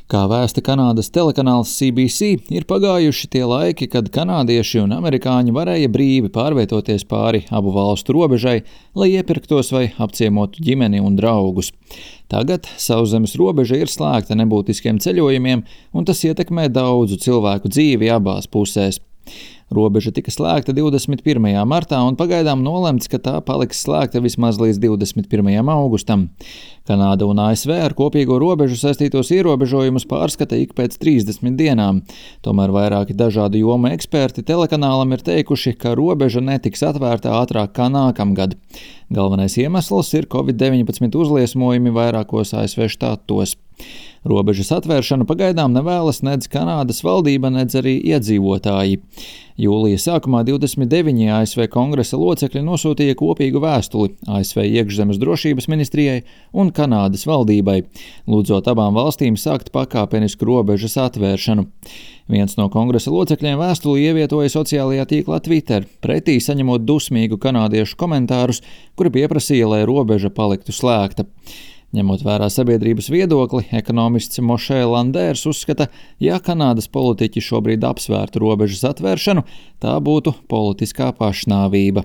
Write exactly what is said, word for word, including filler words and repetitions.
Kā vēsta Kanādas telekanāls C B C, ir pagājuši tie laiki, kad kanādieši un amerikāņi varēja brīvi pārvietoties pāri abu valstu robežai, lai iepirktos vai apciemotu ģimeni un draugus. Tagad sauszemes robeža ir slēgta nebūtiskiem ceļojumiem, un tas ietekmē daudzu cilvēku dzīvi abās pusēs. Robeža tika slēgta divdesmit pirmajā martā un pagaidām nolemts, ka tā paliks slēgta vismaz līdz divdesmit pirmajam augustam. Kanāda un A S V ar kopīgo robežu saistītos ierobežojumus pārskata ik pēc trīsdesmit dienām. Tomēr vairāki dažādu jomu eksperti telekanālam ir teikuši, ka robeža netiks atvērta ātrāk kā nākamgad. Galvenais iemesls ir covid deviņpadsmit uzliesmojumi vairākos A S V štatos. Robežas atvēršanu pagaidām nevēlas nedz Kanādas valdība, nedz arī iedzīvotāji. Jūlija sākumā divdesmit deviņi A S V kongresa locekļi nosūtīja kopīgu vēstuli A S V iekšzemes drošības ministrijai un Kanādas valdībai, lūdzot abām valstīm sākt pakāpenisku robežas atvēršanu. Viens no kongresa locekļiem vēstuli ievietoja sociālajā tīklā Twitter, pretī saņemot dusmīgu kanādiešu komentārus, kuri pieprasīja, lai robeža paliktu slēgta. Ņemot vērā sabiedrības viedokli, ekonomists Mošē Landērs uzskata, ja Kanādas politiķi šobrīd apsvērtu robežas atvēršanu, tā būtu politiskā pašnāvība.